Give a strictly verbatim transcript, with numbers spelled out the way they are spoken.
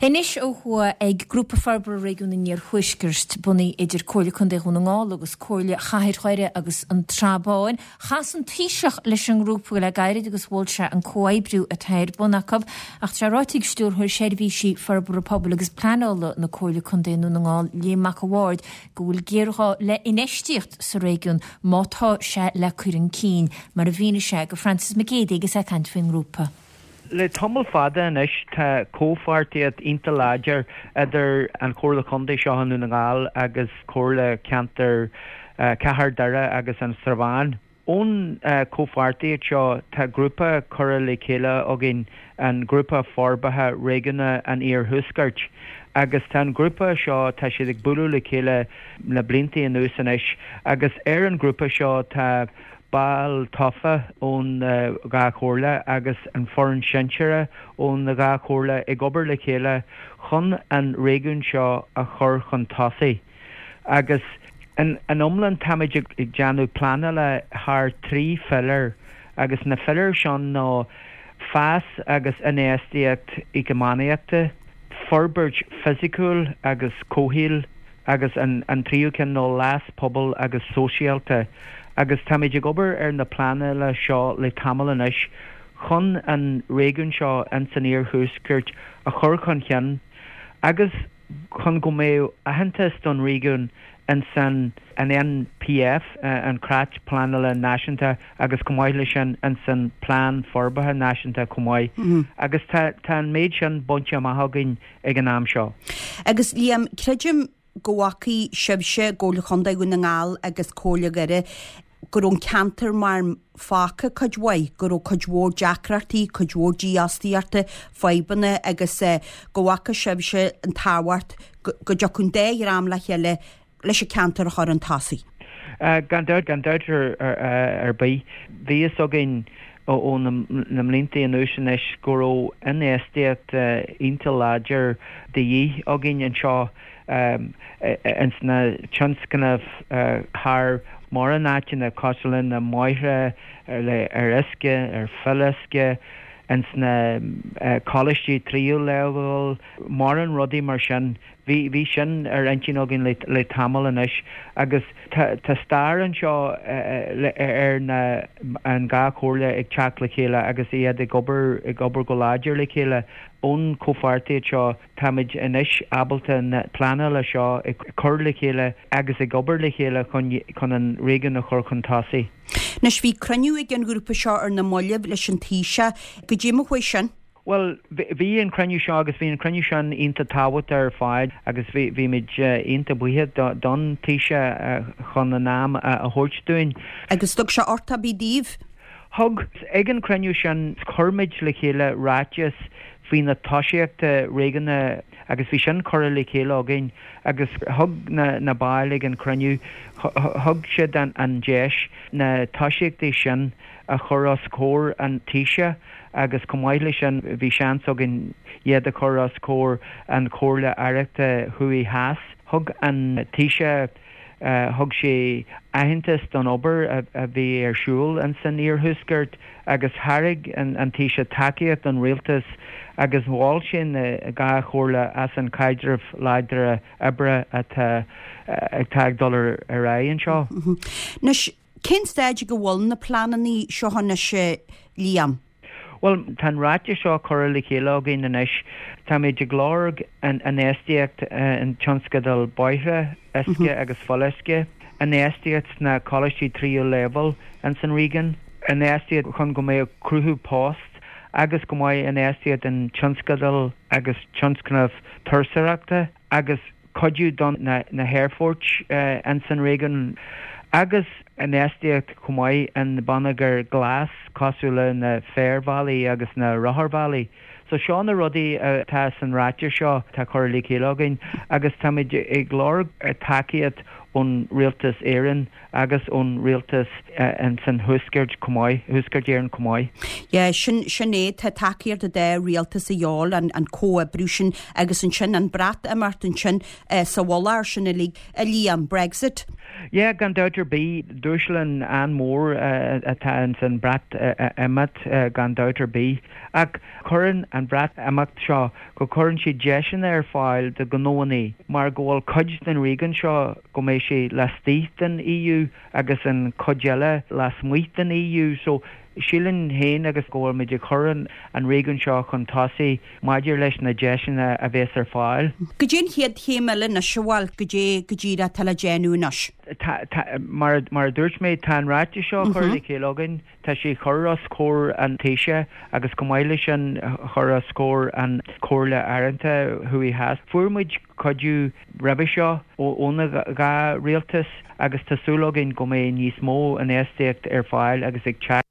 Anois ó thuaidh ag Grúpa Forbartha Réigiún an Iarthuaiscirt bunaithe idir Comhairle Contae Dhún na nGall agus Comhairle Chathair Dhoire agus an tSrath Báin. Chas an Taoiseach leis an ngrúpa le gairid agus mhol sé an comhoibriú atá ar bun acu, ach tá ráite ag Stiúrthóir Seirbhísí Forbartha Pobail agus Pleanála na Comhairle Contae Dhún na nGall Liam Mac a' Bhaird go bhfuil géarghá le infheistíocht sa réigiún má tá sé le cur chun cinn, mar a mhínigh sé do Francis Mac Géadaigh agus é ag caint faoin ngrúpa. Le tamall fada anois tá comhpháirtíocht iontach láidir idir an Chomhairle Contae seo i nDún na nGall agus Comhairle Ceantar Cathair Doire agus an Srath Bháin. Ón comhpháirtíocht seo tá grúpa curtha le chéile againn an grúpa forbartha réigiúnach an Iarthuaiscirt. agus tá an grúpa seo tá siad ag bualadh le chéile le blianta anuas anois agus ar an grúpa seo tá ball tofa ón dhá chomhairle agus an foireann sinsearach ón dhá chomhairle ag obair le chéile chun an réigiún seo a chur chun tosaigh. Agus in an iomlán táimid ag déanamh pleanála thar trí philéar agus na piléir seo ná fás agus infheistíocht eacnamaíochta, forbairt fisiciúil agus comhshaoil agus an, an tríú ceann ná leas pobail agus sóisialta. agus táimid ag obair ar na pleanála seo le tamall anois chun an réigiún seo in san iarthuaisceart a chur chun cinn agus chun go mbeidh aitheantas don réigiún in san an NPF an Creat Pleanála Náisiúnta agus chomh maith leis sin in san Plean Forbartha Náisiúnta chomh maith. Mm -hmm. Agus tá tá an méid sin bainte amach againn ag an am seo. Agus Liam creidim go bhfaca sibhse Comhairle Chontae Dhún na nGall agus Comhairle Dhoire go raibh an ceantar mar fágtha cuid mhaith, go raibh cuid mhór deacrachtaí, cuid mhór dífhostaíochta, fadhbanna agus uh, go bhfaca sibhse an tábhacht go dtiocfadh an dá dhream le chéile leis an ceantar a chur chun tosaigh. Uh, gan dabht gan dabht ar, ar, ar bith bhí a fhios againn ó na, na blianta anuas anois go raibh infheistíocht uh, iontach láidir de dhíth againn anseo um, ins na tionscnaimh uh, thar mórán áiteanna cosúil le na bóithre ar, ar uisce ar fuíolluisce ins na uh, coláistí tríú leibhéal mórán rudaí mar sin bhí bhí sin ar intinn againn le, le tamall anois agus tá tá stair anseo uh, ar na an dhá chomhairle ag teacht le chéile agus iad ag obair ag obair go láidir le chéile ón comhpháirtíocht seo táimid anois ábalta na pleanála seo ag cur le chéile agus ag obair le chéile chun chun an réigiún a chur chun tosaigh. Anois bhí cruinniú ag an grúpa seo ar na mallaibh leis an Taoiseach go dtí chuaigh sin. Well bhí an cruinniú seo agus bhí an cruinniú sin iontach tábhachtach ar fad agus bhí bhí muid iontach buíoch don Taoiseach chun an am a thabhairt dúinn. Agus thug sé orthu bí daoibh? Thug ag an cruinniú sin chuir muid le chéile ráiteas faoi na tosaíochtaí réigiúnach agus bhí sin curtha le chéile againn agus thug na, na baill ag an cruinniú thug siad an, an deis na tosaíochtaí sin a chur os comhair an Taoiseach agus chomh maith leis sin bhí seans againn iad a chur os comhair an Chomhairle Aireachta Thuaidh Theas. Thug an Taoiseach uh, thug sé aitheantas don obair a, a bhí ar siúl in san iarthuaisceart agus thairg an, an Taoiseach tacaíocht don rialtas agus mhol sé na dhá chomhairle as an caidreamh láidir oibre atá atá ag dul ar aghaidh anseo. Anois cén staid go bhfuil na pleananna seo anois Liam? Well tá an ráiteas seo curtha le chéile againn anois Táimid ag lorg an infheistíocht an tionscadal bóithre uisce agus fuíolluisce, infheistíocht sna coláistí tríú leibhéal in san réigiún, infheistíocht chun go mbeidh cruthú post agus go mbeidh infheistíocht in tionscadal agus tionscnamh turasóireachta agus cuidiú don na, na haerfoirt uh, in san réigiún agus infheistíocht chomh maith in bonneagar glas cosúil le na féarbhealaí agus na rotharbhealaí. So seo na rudaí atá san ráiteas seo tá curtha le chéile againn agus táimid ag lorg tacaíocht ón Rialtas Éireann agus ón Rialtas san Thuaisceart chomh maith, Thuaisceart Éireann chomh maith. Yeah, sin sin é tá tacaíocht ón dá rialtas a dhíobháil an, an comhoibriú sin agus ansin an Breatimeacht ansin eh, sa mhullach sin uilig a Liam Brexit. Yeah, gan dabht ar bith dúshlán an-mhór uh, atá in san Breatimeacht uh, gan dabht ar bith. Ach cuireann an Breatimeacht seo go cuireann sé deiseanna ar fáil do ghnónna mar go bhfuil cuid den réigiún seo go mbeidh sé laistigh den EU agus an chuid eile lasmuigh den EU so sílim féin agus go bhfuil muid ag cur an réigiún seo chun tosaigh maidir leis na deiseanna a bheas ar fáil. Cad é an chéad chéim eile anois bhfuil cad é go díreach atá le déanamh anois. mar mar a dúirt mé tá an ráiteas seo curtha le chéile againn, tá sé chur os comhair an Taoisigh agus go maith leis an chur os comhair an Chomhairle Aireachta thuaidh theas. Fuair muid cuidiú roimhe seo óna dhá rialtas agus tá súil againn go mbeidh níos mó infheistíocht ar fáil agus ag teacht